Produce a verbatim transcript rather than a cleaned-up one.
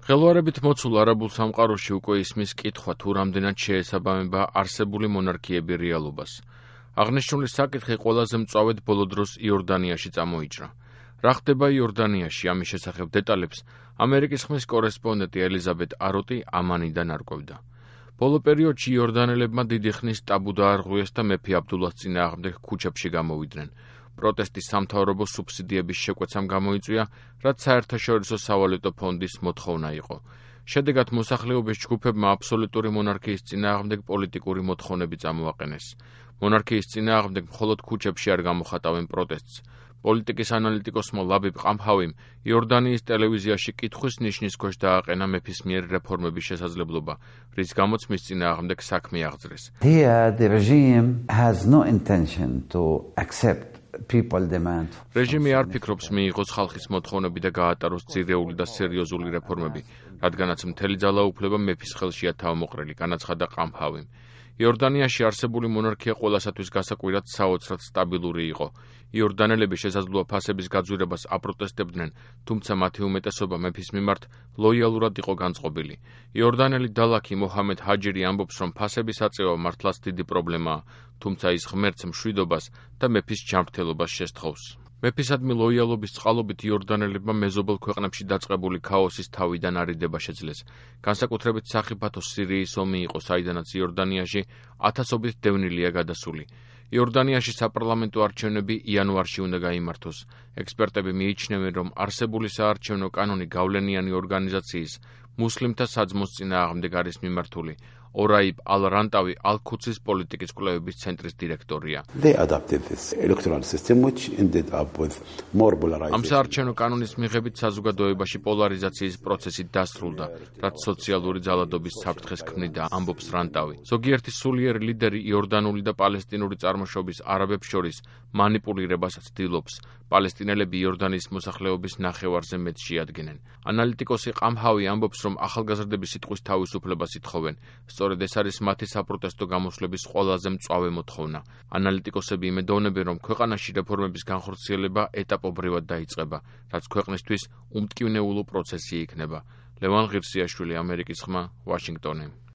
ხელვარებით მოცულ არაბულ სამყაროში უკვე ისმის კითხვა, თუ რამდენად შეესაბამება არსებული მონარქიები რეალობას. აღნიშნული საკითხი ყველაზე მწვავედ ბოლო დროს იორდანიაში წამოიჭრა. რა ხდება იორდანიაში, ამის შესახებ დეტალებს ამერიკის ხმის კორესპონდენტი ელიზაბეთ აროტი ამანიდან არკვევდა. ბოლო პერიოდში იორდანელებმა დიდი ხნის ტაბუ დაარღვიეს და მეფე აბდულას წინააღმდეგ ქუჩებში გამოვიდნენ. პროტესტი სამთავრობო სუბსიდიების შეკვეცამ გამოიწვია, რაც საერთაშორისო სავალუტო ფონდის მოთხოვნა იყო. შედეგად მოსახლეობის ჯგუფებმა აბსოლუტური მონარქიის წინააღმდეგ პოლიტიკური მოთხოვნები წამოაყენეს. მონარქიის წინააღმდეგ მხოლოდ ქუჩებში არ გამოხატავენ პროტესტს. პოლიტიკის ანალიტიკოსმა ლაბიბ ყამჰავიმ იორდანიის ტელევიზიაში კითხვის ნიშნის ქვეშ დააყენა მეფის მიერ რეფორმების შესაძლებლობა, რის გამოც მის წინააღმდეგ საქმე აღძრეს. Here the regime has no intention to accept people demand. რეჟიმი არ ფიქრობს მიიღოს ხალხის მოთხოვნები და გაატაროს ძირეული და სერიოზული რეფორმები, რადგანაც მთელი ძალაუფლება მეფის ხელშია თავმოყრილი, განაცხადა ყამჰავიმ. იორდანიაში არსებული მონარქია ყველასათვის გასაკვირად საოცრად სტაბილური იყო. იორდანელები შესაძლოა ფასების გაძვირებას აპროტესტებდნენ, თუმცა მათი უმეტესობა მეფის მიმართ ლოიალურად იყო განწყობილი. იორდანელი დალაქი მოჰამედ ჰაჯირი ამბობს, რომ ფასების აწევა მართლაც დიდი პრობლემაა, თუმცა ის ღმერთს მშვიდობას და მეფის ჯანმრთელობას შესთხოვს. მეფისადმი ლოიალობის წყალობით იორდანელებმა მეზობელ ქვეყნებში დაწყებული ქაოსის თავიდან არიდება შეძლეს. განსაკუთრებით სახიფათო სირიის ომი იყო, საიდანაც იორდანიაში ათასობით დევნილია გადასული. იორდანიაში საპარლამენტო არჩევნები იანვარში უნდა გაიმართოს. ექსპერტები მიიჩნევენ, რომ არსებული საარჩევნო კანონი გავლენიანი ორგანიზაციის მუსლიმთა საძმოს წინააღმდეგ არის მიმართული. ორაიბ ალ-რანტავი ალ-ქუცის პოლიტიკის კვლევების ცენტრის დირექტორია. ამ საარჩევნო კანონის მიღებით საზოგადოებაში პოლარიზაციის პროცესი დასრულდა, რაც სოციალური ძალადობის საფრთხეს ქმნიდა, ამბობს რანტავი. ზოგიერთი სულიერი ლიდერი იორდანული და პალესტინური წარმოშობის არაბებს შორის მანიპულირებას ცდილობს. პალესტინელები იორდანის მოსახლეობის ნახევარზე მეტს შეადგენენ. ანალიტიკოსი ყამჰავი ამბობს, რომ ახალგაზრდები სიტყვის თავისუფლებას ითხოვენ. სწორედ ეს არის მათი საპროტესტო გამოსვლების ყველაზე მწვავე მოთხოვნა. ანალიტიკოსები იმედოვნებენ, რომ ქვეყანაში რეფორმების განხორციელება ეტაპობრივად დაიწყება, რაც ქვეყნისთვის უმტკივნეულო პროცესი იქნება. ლევან ღირსიაშვილი, ამერიკის ხმა, ვაშინგტონი.